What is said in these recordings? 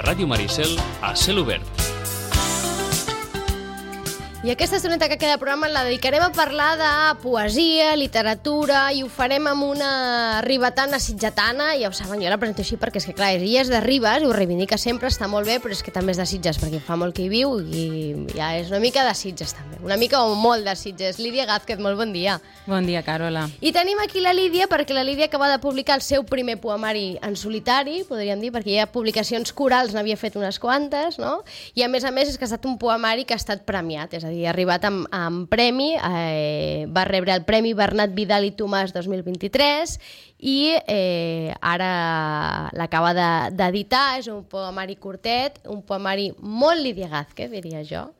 Ràdio Maricel a cel obert. I aquesta estoneta que queda de programa la dedicarem a parlar de poesia, literatura, i ho farem amb una ribetana sitgetana. Ja ho saben, jo la presento així perquè és que, clar, ella és de Ribes i ho reivindica sempre, està molt bé, però és que també és de Sitges, perquè fa molt que hi viu i ja és una mica de Sitges també. Una mica o molt de Sitges. Lídia Gázquez, molt bon dia. Bon dia, Carola. I tenim aquí la Lídia, perquè la Lídia acaba de publicar el seu primer poemari en solitari, podríem dir, perquè ja publicacions corals n'havia fet unes quantes, no? I a més és que ha estat un poemari que ha estat premiat, és a dir, ha arribat amb premi, va rebre el Premi Bernat Vidal i Tomàs 2023 i ara l'acaba d'editar. És un poemari curtet, un poemari molt Lídia Gázquez, diria jo.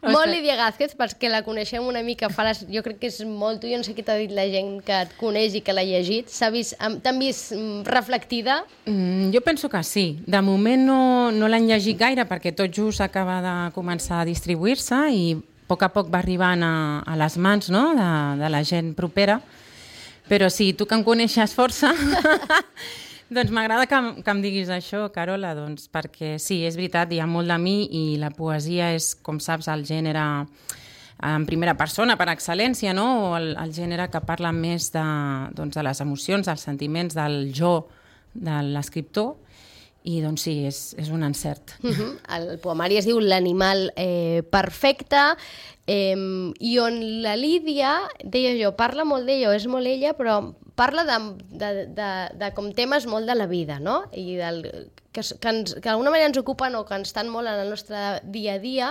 Molt Lídia Gázquez, perquè la coneixem una mica, jo crec que és molt tu, jo no sé què t'ha dit la gent que et coneix i que l'ha llegit. T'han vist reflectida? Jo penso que sí. De moment no l'han llegit gaire perquè tot just acaba de començar a distribuir-se i a poc va arribant a les mans, no?, de la gent propera. Però sí, tu que em coneixes força... Doncs m'agrada que em diguis això, Carola, doncs, perquè sí, és veritat, hi ha molt de mi i la poesia és, com saps, el gènere en primera persona, per excel·lència, no? O el gènere que parla més de les emocions, dels sentiments, del jo de l'escriptor, i doncs sí, és un encert. El poemari es diu L'animal perfecte, i on la Lídia, deia jo, parla molt d'ella, és molt ella, però parla de com temes molt de la vida, no? I que d'alguna manera ens ocupen o que ens estan molt en el nostre dia a dia,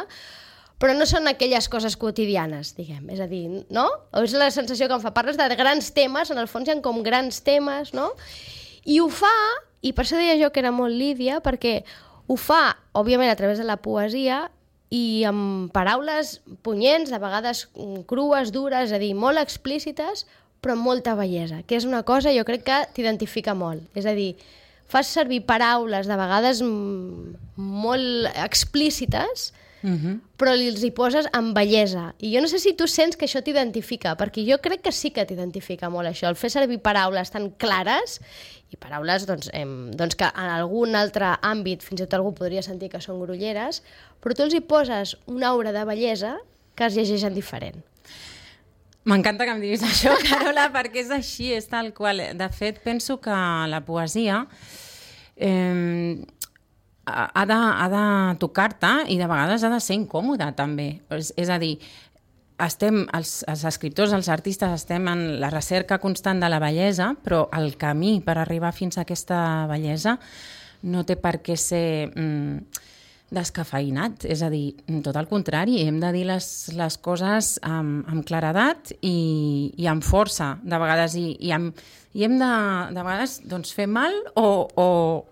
però no són aquelles coses quotidianes, diguem. És a dir, no? O és la sensació que em fa. Parles de grans temes, en el fons hi ha com grans temes, no? I ho fa, i per això deia jo que era molt Lídia, perquè ho fa, òbviament, a través de la poesia i amb paraules punyents, de vegades crues, dures, és a dir, molt explícites, però amb molta bellesa, que és una cosa, jo crec que t'identifica molt. És a dir, fas servir paraules de vegades molt explícites, però els hi poses amb bellesa. I jo no sé si tu sents que això t'identifica, perquè jo crec que sí que t'identifica molt això, el fer servir paraules tan clares, i paraules doncs, que en algun altre àmbit fins i tot algú podria sentir que són grolleres, però tu els hi poses una aura de bellesa que es llegeixen diferent. M'encanta que em diguis això, Carola, perquè és així, és tal qual. De fet, penso que la poesia ha de tocar-te i de vegades ha de ser incòmoda, també. És a dir, els escriptors, els artistes, estem en la recerca constant de la bellesa, però el camí per arribar fins a aquesta bellesa no té per què ser descafeïnat, és a dir, tot el contrari, hem de dir les coses amb claredat i amb força, de vegades, i hem de vegades doncs, fer mal o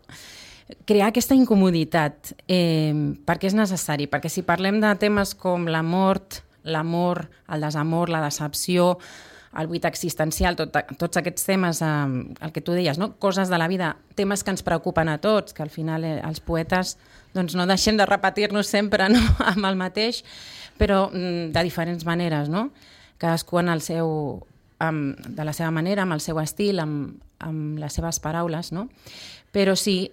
crear aquesta incomoditat, perquè és necessari, perquè si parlem de temes com la mort, l'amor, el desamor, la decepció, el buit existencial, tots aquests temes, el que tu deies, no? Coses de la vida, temes que ens preocupen a tots, que al final els poetes doncs, no deixem de repetir-nos sempre, no? Amb el mateix, però de diferents maneres, no? Cadascú de la seva manera, amb el seu estil, amb les seves paraules, no? Però sí,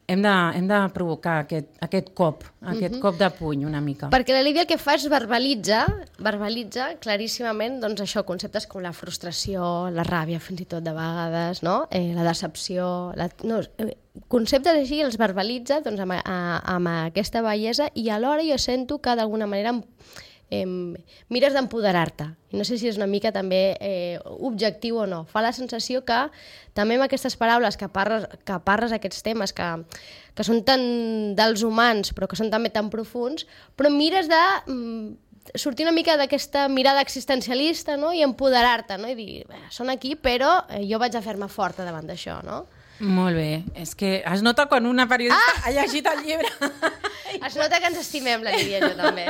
hem de provocar aquest cop de puny una mica. Perquè la Lídia el que fa és verbalitza claríssimament doncs, això, conceptes com la frustració, la ràbia fins i tot de vegades, no? La decepció, conceptes així els verbalitza doncs, amb aquesta bellesa i alhora jo sento que d'alguna manera mires d'empoderar-te. I no sé si és una mica també objectiu o no. Fa la sensació que també amb aquestes paraules que parles aquests temes que són tan dels humans però que són també tan profuns, però mires de sortir una mica d'aquesta mirada existencialista, no? I empoderar-te, no? I dir, són aquí però jo vaig a fer-me forta davant d'això, no? Molt bé. És que es nota quan una periodista ha llegit el llibre. Es nota que ens estimem, la Lídia, jo també.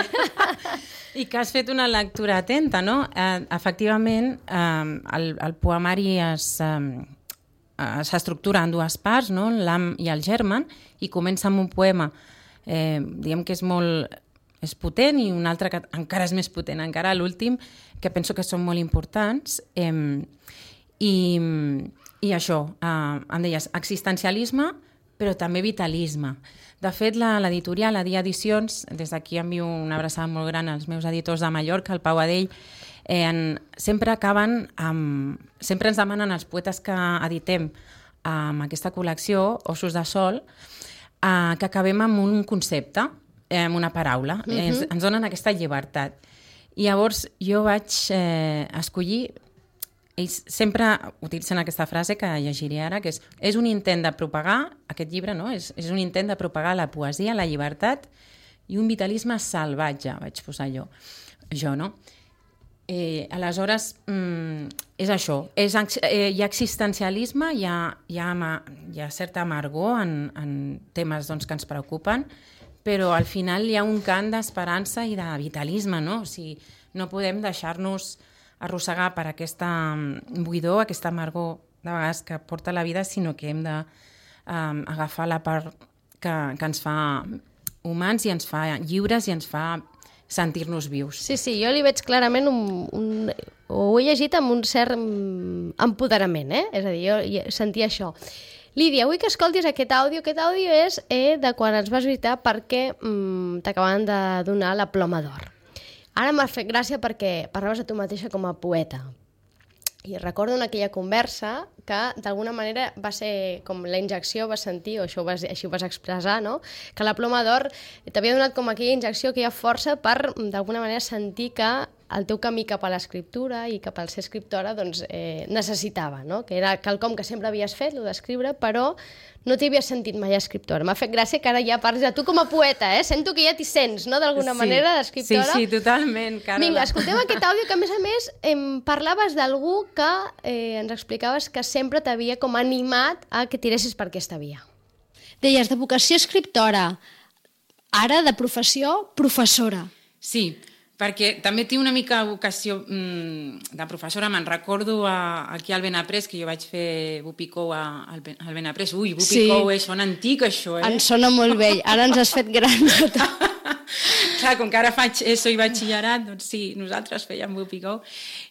I que has fet una lectura atenta, no? Efectivament, el poemari s'estructura en dues parts, no? L'Am i el Germen, i comença amb un poema, diguem que és potent, i un altre que encara és més potent, encara l'últim, que penso que són molt importants, i això, em deies, existencialisme, però també vitalisme. De fet, l'editorial, la Dia Edicions, des d'aquí envio una abraçada molt gran als meus editors de Mallorca, el Pau Adell, sempre ens demanen els poetes que editem amb aquesta col·lecció, Ossos de Sol, que acabem amb un concepte, amb una paraula. Ens donen aquesta llibertat. I llavors jo vaig escollir, ells sempre utilitzen aquesta frase que llegiré ara, que és un intent de propagar, aquest llibre, no? És un intent de propagar la poesia, la llibertat i un vitalisme salvatge, vaig posar jo, no? Aleshores, és això, hi ha existencialisme, hi ha certa amargor en temes doncs, que ens preocupen, però al final hi ha un cant d'esperança i de vitalisme, no? O sigui, no podem deixar-nos arrossegar per aquesta buidor, aquesta amargor de vegades que porta la vida, sinó que hem d'agafar la part que ens fa humans i ens fa lliures i ens fa sentir-nos vius. Sí, jo li veig clarament ho he llegit amb un cert empoderament, és a dir, jo sentia això. Lídia, vull que escoltis aquest àudio. Aquest àudio és de quan ens vas visitar perquè t'acabaven de donar la Ploma d'Or. Ara m'ha fet gràcia perquè parlaves a tu mateixa com a poeta. I recordo en aquella conversa que d'alguna manera va ser com la injecció, vas sentir, o així ho vas expressar, no? Que la Ploma d'Or t'havia donat com aquella injecció, aquella força per d'alguna manera sentir que el teu camí cap a l'escriptura i cap al ser escriptora doncs, necessitava, no? Que era quelcom que sempre havies fet, el d'escriure, però no t'hi havies sentit mai escriptora. M'ha fet gràcia que ara ja parles de tu com a poeta, Sento que ja t'hi sents, no?, d'alguna manera, d'escriptora. Sí, totalment, Carola. Vinga, escoltem aquest àudio que, a més, parlaves d'algú que ens explicaves que sempre t'havia com animat a que tiressis per aquesta via. Deies, de vocació escriptora, ara de professió professora. Sí, perquè també tinc una mica vocació de professora. Me'n recordo aquí al Benaprés, que jo vaig fer Bupicou al Benaprés. Ui, Bupicou, sona antic, això, Ens sona molt vell. Ara ens has fet grans. Clar, com que ara faig ESO i batxillerat, doncs sí, nosaltres fèiem Bupicou.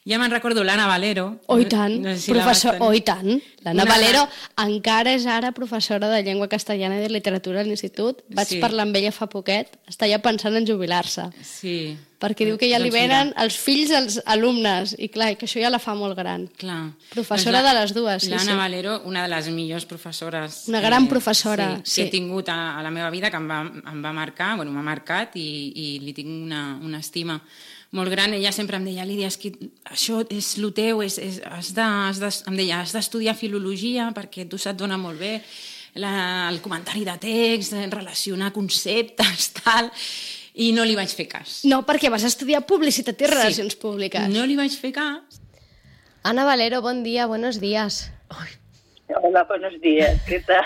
Ja me'n recordo l'Anna Valero. Oh, i tant, professor, oh, i tant. L'Anna Valero encara és ara professora de llengua castellana i de literatura a l'institut. Vaig parlar amb ella fa poquet, està ja pensant en jubilar-se. Sí. Perquè diu que ja li venen els fills dels alumnes, i clar, que això ja la fa molt gran. Clar. Professora de les dues, sí. L'Anna Valero, una de les millors professores. Una gran professora, sí. Que he tingut a la meva vida, que em va marcar, m'ha marcat i li tinc una estima molt gran. Ella sempre em deia, Lídia, és que això és el teu, em deia, has d'estudiar filologia perquè tu se't dona molt bé el comentari de text, relacionar conceptes, tal, i no li vaig fer cas. No, perquè vas estudiar publicitat i relacions públiques. No li vaig fer cas. Ana Valero, bon dia, buenos días. Hola, buenos días, ¿qué tal?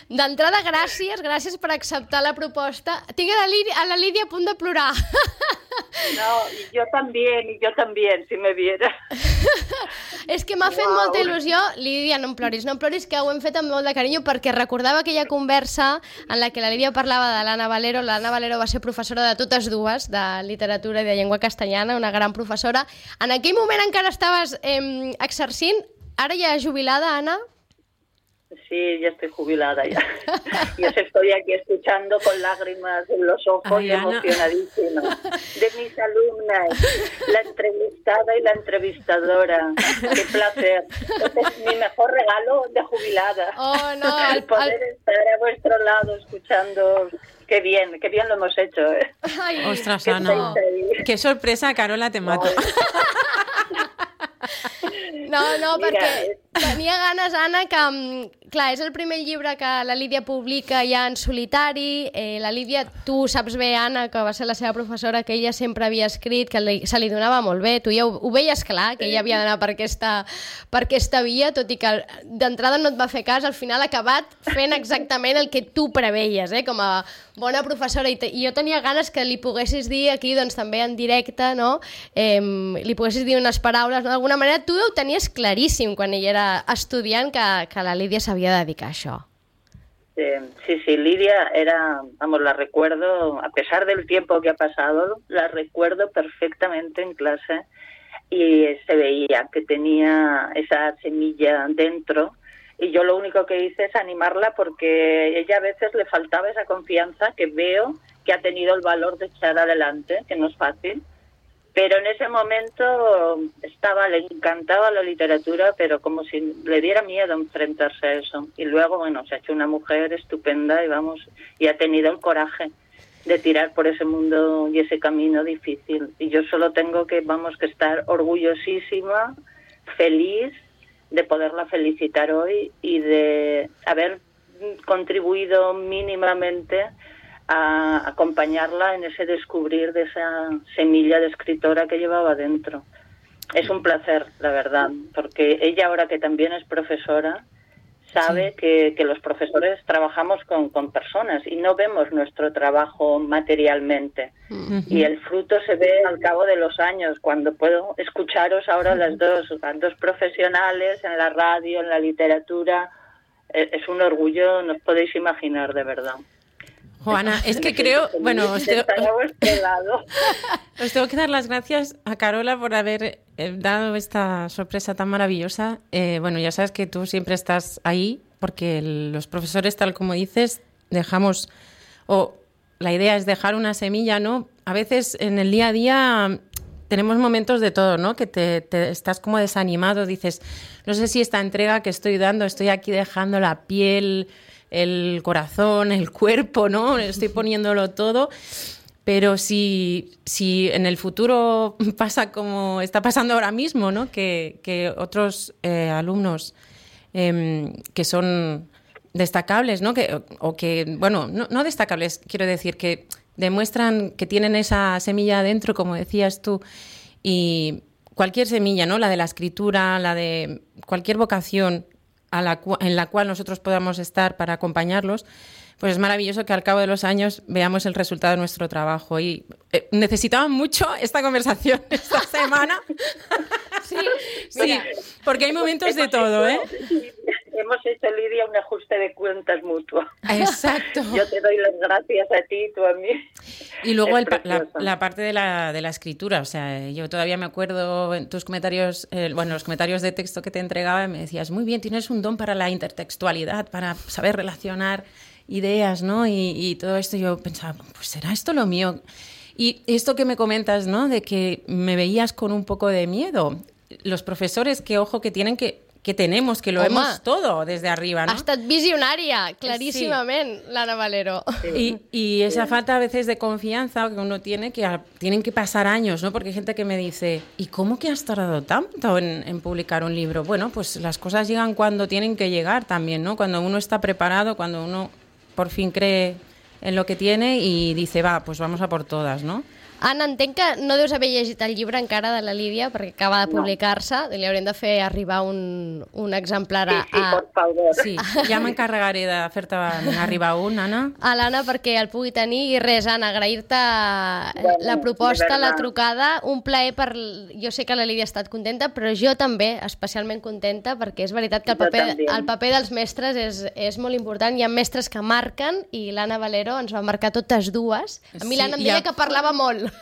D'entrada, gràcies per acceptar la proposta. Tinc a la Lídia a punt de plorar. No, yo también, si me viera. És que m'ha fet molta il·lusió. Lídia, no em ploris, que ho hem fet amb molt de carinyo, perquè recordava aquella conversa en la que la Lídia parlava de l'Anna Valero. L'Anna Valero va ser professora de totes dues, de literatura i de llengua castellana, una gran professora. En aquell moment encara estaves exercint, ara ja jubilada, Anna? Sí, ya estoy jubilada ya. Yo estoy aquí escuchando con lágrimas en los ojos y emocionadísima. De mis alumnas, la entrevistada y la entrevistadora. Qué placer. Este es mi mejor regalo de jubilada. Oh, no. El poder estar a vuestro lado escuchando. Qué bien lo hemos hecho. Ay, ostras, Ana. Qué sorpresa, Carola, te mato. No, perquè tenia ganes, Anna, que, clar, és el primer llibre que la Lídia publica ja en solitari. La Lídia, tu saps bé, Anna, que va ser la seva professora, que ella sempre havia escrit, que se li donava molt bé. Tu ja ho veies clar, que ella havia d'anar per aquesta via, tot i que d'entrada no et va fer cas, al final ha acabat fent exactament el que tu preveies, com a bona professora. I jo tenia ganes que li poguessis dir aquí, doncs també en directe, no? Li poguessis dir unes paraules, no? D'alguna manera tu ho tenies claríssim quan ella era estudiant que la Lídia s'havia de dedicar a això. Sí, Lidia era, la recuerdo, a pesar del tiempo que ha pasado, la recuerdo perfectamente en clase y se veía que tenía esa semilla dentro Y yo lo único que hice es animarla porque ella a veces le faltaba esa confianza que veo que ha tenido el valor de echar adelante, que no es fácil. Pero en ese momento le encantaba la literatura, pero como si le diera miedo enfrentarse a eso. Y luego, bueno, se ha hecho una mujer estupenda y ha tenido el coraje de tirar por ese mundo y ese camino difícil. Y yo solo tengo que estar orgullosísima, feliz de poderla felicitar hoy y de haber contribuido mínimamente a acompañarla en ese descubrir de esa semilla de escritora que llevaba dentro. Es un placer, la verdad, porque ella, ahora que también es profesora, sabe que los profesores trabajamos con personas y no vemos nuestro trabajo materialmente. Y el fruto se ve al cabo de los años, cuando puedo escucharos ahora las dos profesionales en la radio, en la literatura. Es un orgullo, no os podéis imaginar, de verdad. Juana, es que creo, bueno, os tengo que dar las gracias a Carola por haber dado esta sorpresa tan maravillosa. Bueno, ya sabes que tú siempre estás ahí porque los profesores, tal como dices, la idea es dejar una semilla, ¿no? A veces en el día a día tenemos momentos de todo, ¿no? Que te estás como desanimado, dices, no sé si esta entrega que estoy dando, estoy aquí dejando la piel, el corazón, el cuerpo, ¿no? Estoy poniéndolo todo, pero si en el futuro pasa como está pasando ahora mismo, ¿no? Que otros alumnos que son destacables, ¿no? No destacables, quiero decir, que demuestran que tienen esa semilla adentro, como decías tú, y cualquier semilla, ¿no? La de la escritura, la de cualquier vocación en la cual nosotros podamos estar para acompañarlos, pues es maravilloso que al cabo de los años veamos el resultado de nuestro trabajo. Y necesitaba mucho esta conversación esta semana. Sí, porque hay momentos de todo, ¿eh? Hemos hecho, Lidia, un ajuste de cuentas mutuo. Exacto. Yo te doy las gracias a ti, tú a mí. Y luego la parte de la escritura. O sea, yo todavía me acuerdo en tus comentarios, los comentarios de texto que te entregaba, me decías, muy bien, tienes un don para la intertextualidad, para saber relacionar ideas, ¿no? Y todo esto yo pensaba, pues ¿será esto lo mío? Y esto que me comentas, ¿no? De que me veías con un poco de miedo. Los profesores, que ojo, que tenemos, que lo vemos todo desde arriba, ¿no? Ha estat visionària, claríssimament, sí. L'Anna Valero. Y esa falta a veces de confianza que uno tiene, que tienen que pasar años, ¿no? Porque hay gente que me dice, ¿y cómo que has tardado tanto en publicar un libro? Bueno, pues las cosas llegan cuando tienen que llegar también, ¿no? Cuando uno está preparado, cuando uno por fin cree en lo que tiene y dice, pues vamos a por todas, ¿no? Anna, entenc que no deus haver llegit el llibre encara de la Lídia perquè acaba de publicar-se. Li haurem de fer arribar un exemplar a... Sí, por favor. Sí, ja m'encarregaré de fer-te arribar un, Anna. A l'Anna perquè el pugui tenir. I res, Anna, agrair-te la proposta, la trucada. Un plaer Jo sé que la Lídia ha estat contenta, però jo també, especialment contenta, perquè és veritat que el paper dels mestres és molt important. Hi ha mestres que marquen i l'Anna Valero ens va marcar totes dues. A mi l'Anna em deia que parlava molt.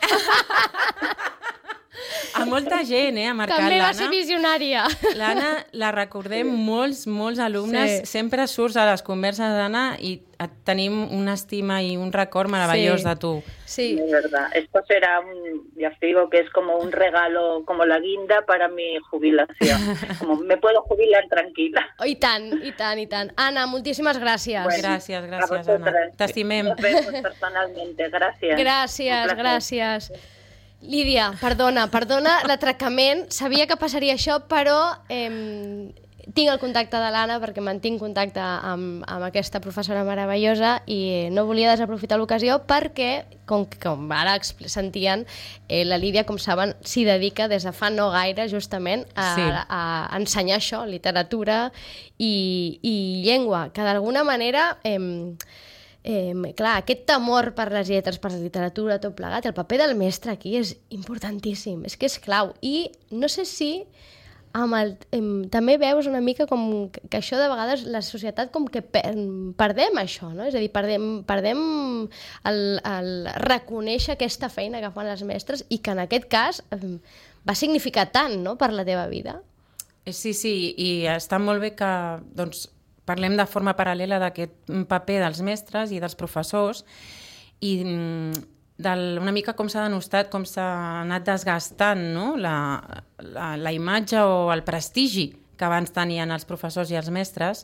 A molta gent, ha marcat l'Anna. També va ser visionària. L'Anna la recordem molts alumnes. Sí. Sempre surts a les converses d'Anna i tenim una estima y un record maravilloso de tú. Sí. De verdad. Esto será ya os digo que es como un regalo, como la guinda para mi jubilación. Como me puedo jubilar tranquila. I tant, i tant, i tant. Anna, moltíssimes gràcies. Bueno, gràcies, Anna. T'estimem. Nos vemos personalmente. Gràcies. Gràcies. Lídia, perdona l'atracament. Sabia que passaria això, però tinc el contacte de l'Anna perquè mantinc contacte amb aquesta professora meravellosa i no volia desaprofitar l'ocasió perquè, com ara sentien, la Lídia, com saben, s'hi dedica des de fa no gaire justament a ensenyar això, literatura i llengua, que d'alguna manera... clar, aquest temor per les lletres, per la literatura, tot plegat, el paper del mestre aquí és importantíssim, és que és clau. I no sé si també veus una mica com que això de vegades la societat com que perdem això, no? És a dir, perdem el reconèixer aquesta feina que fan els mestres i que en aquest cas va significar tant, no?, per la teva vida. Sí, i està molt bé que doncs, parlem de forma paral·lela d'aquest paper dels mestres i dels professors i una mica com s'ha denostat, com s'ha anat desgastant, no? la imatge o el prestigi que abans tenien els professors i els mestres.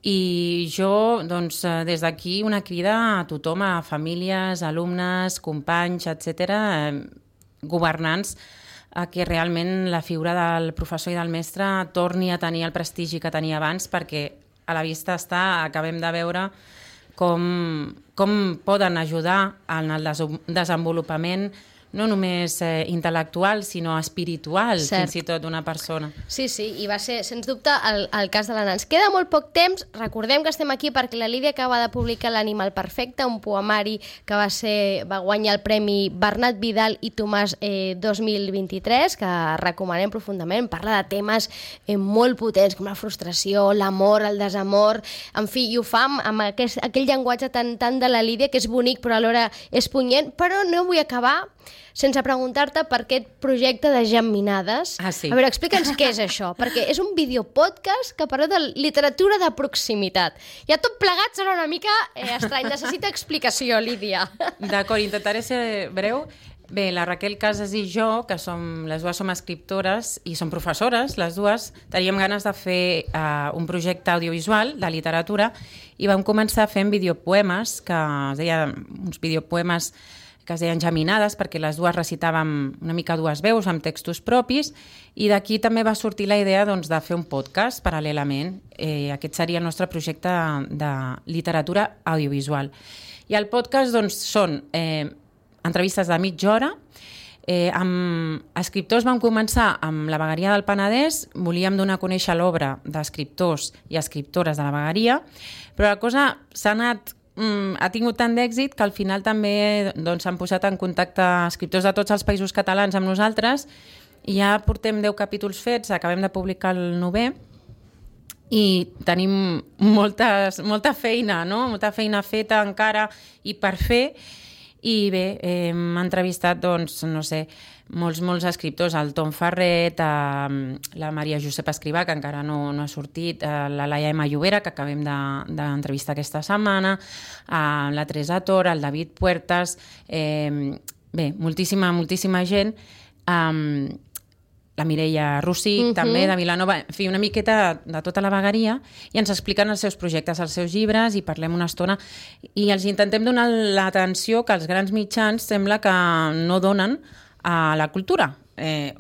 I jo, doncs, des d'aquí, una crida a tothom, a famílies, alumnes, companys, etc., governants, a que realment la figura del professor i del mestre torni a tenir el prestigi que tenia abans, perquè a la vista està, acabem de veure com poden ajudar en el desenvolupament no només intel·lectual, sinó espiritual, fins i tot, d'una persona. Sí, i va ser, sens dubte, el cas de la Nans. Queda molt poc temps, recordem que estem aquí perquè la Lídia acaba de publicar L'Animal Perfecte, un poemari que va guanyar el Premi Bernat Vidal i Tomàs 2023, que recomanem profundament. Parla de temes molt potents, com la frustració, l'amor, el desamor, en fi, i ho fa amb aquell llenguatge tan de la Lídia, que és bonic però alhora és punyent, però no vull acabar sense preguntar-te per aquest projecte de Gemminades. Sí. A veure, explica'ns què és això, perquè és un videopodcast que parla de literatura de proximitat. Ja tot plegat serà una mica estrany. Necessita explicació, Lídia. D'acord, intentaré ser breu. Bé, la Raquel Casas i jo, que les dues som escriptores i som professores, les dues, teníem ganes de fer un projecte audiovisual de literatura i vam començar fent videopoemes, que es deien uns videopoemes que es deien Geminades, perquè les dues recitàvem una mica dues veus amb textos propis, i d'aquí també va sortir la idea doncs, de fer un podcast paral·lelament. Aquest seria el nostre projecte de literatura audiovisual. I el podcast doncs, són entrevistes de mitja hora. Amb escriptors vam començar amb la Vegueria del Penedès, volíem donar a conèixer l'obra d'escriptors i escriptores de la Vegueria, però la cosa s'ha tingut tant d'èxit que al final també s'han posat en contacte escriptors de tots els països catalans amb nosaltres i ja portem 10 capítols fets, acabem de publicar el 9è i tenim molta feina, no? Molta feina feta encara i per fer. I bé, hem entrevistat, doncs, no sé, molts escriptors, el Tom Ferret, la Maria Josepa Escrivà, que encara no ha sortit, la Laia M. Llobera, que acabem d'entrevistar aquesta setmana, la Teresa Tor, el David Puertas, bé, moltíssima gent, la Mireia Rossich, també, de Vilanova, en fi, una miqueta de tota la vegueria, i ens expliquen els seus projectes, els seus llibres, i parlem una estona, i els intentem donar l'atenció que els grans mitjans sembla que no donen a la cultura,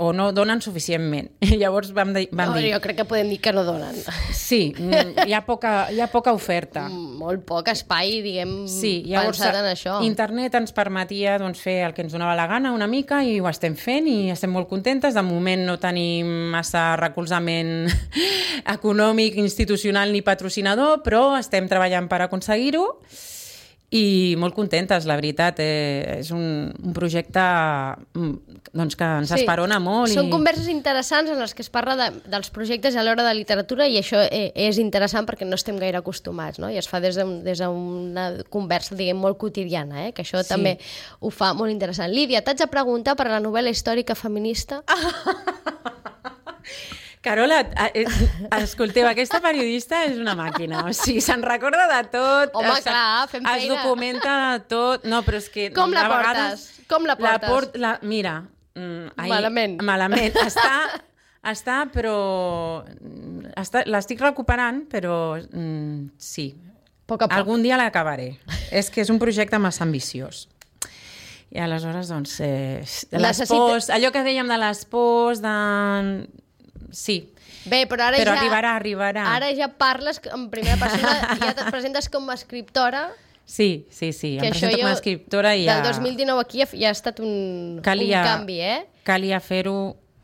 o no donen suficientment. Llavors vam dir... Jo crec que podem dir que no donen. Sí, hi ha poca oferta. Molt poc espai, diguem, llavors, pensat en això. Internet ens permetia fer el que ens donava la gana una mica i ho estem fent i estem molt contentes. De moment no tenim massa recolzament econòmic, institucional ni patrocinador, però estem treballant per aconseguir-ho. I molt contentes, la veritat. És un projecte doncs, que ens esperona molt. Són converses interessants en les que es parla dels projectes a l'hora de literatura i això és interessant perquè no estem gaire acostumats, no? I es fa des d'una conversa, diguem, molt quotidiana, que això també ho fa molt interessant. Lídia, t'haig de preguntar per la novel·la històrica feminista. Carola, escolteu, aquesta periodista és una màquina, o sigui, se'n recorda de tot. Home, clar, fem feina. Es documenta tot, no, però és que... Com la portes? Com la portes? Mira, malament. Està, però... L'estic recuperant, però sí. Poc a poc. Algun dia l'acabaré. És que és un projecte massa ambiciós. I aleshores, doncs, les pors, allò que dèiem de les pors, sí. Bé, però ara ja... arribarà. Ara ja parles en primera persona, ja et presentes com a escriptora. Sí, em presento com a escriptora i ja... Del 2019 aquí ja ha estat un canvi, Calia fer-ho.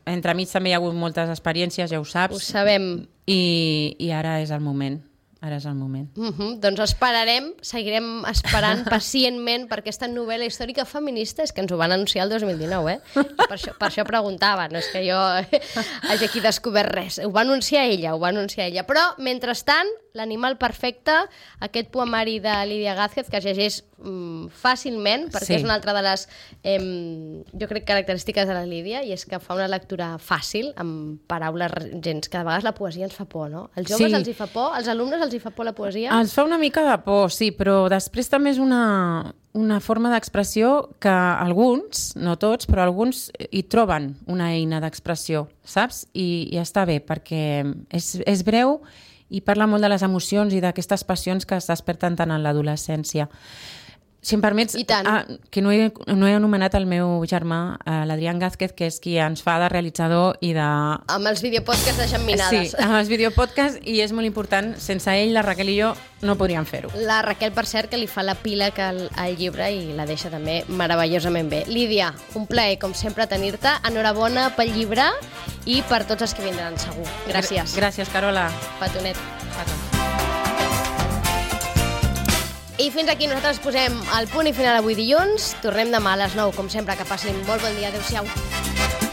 Entremig també hi ha hagut moltes experiències, ja ho saps. Ho sabem. I ara és el moment. Doncs esperarem, seguirem esperant pacientment per aquesta novel·la històrica feminista, és que ens ho van anunciar el 2019, I per això preguntava, no és que jo hagi aquí descobert res. Ho va anunciar ella, però mentrestant L'animal perfecte, aquest poemari de Lídia Gázquez, que es llegeix fàcilment, perquè és una altra de les, jo crec, característiques de la Lídia, i és que fa una lectura fàcil, amb paraules gens, que de vegades la poesia ens fa por, no? Als joves els hi fa por, als alumnes els hi fa por la poesia? Ens fa una mica de por, sí, però després també és una forma d'expressió que alguns, no tots, però alguns hi troben una eina d'expressió, saps? I està bé, perquè és breu i parla molt de les emocions i d'aquestes passions que es desperten tant en l'adolescència. Si em permets, que no he anomenat el meu germà, l'Adrián Gázquez, que és qui ens fa de realitzador i de... Amb els videopodcasts de Xamminades. Sí, amb els videopodcasts, i és molt important. Sense ell, la Raquel i jo no podríem fer-ho. La Raquel, per cert, que li fa la pila al llibre i la deixa també meravellosament bé. Lídia, un plaer, com sempre, tenir-te. Enhorabona pel llibre i per tots els que vindran, segur. Gràcies. Gràcies, Carola. Petonet. I fins aquí nosaltres posem el punt i final avui dilluns. Tornem demà a les 9, com sempre. Que passin molt bon dia. Adéu-siau.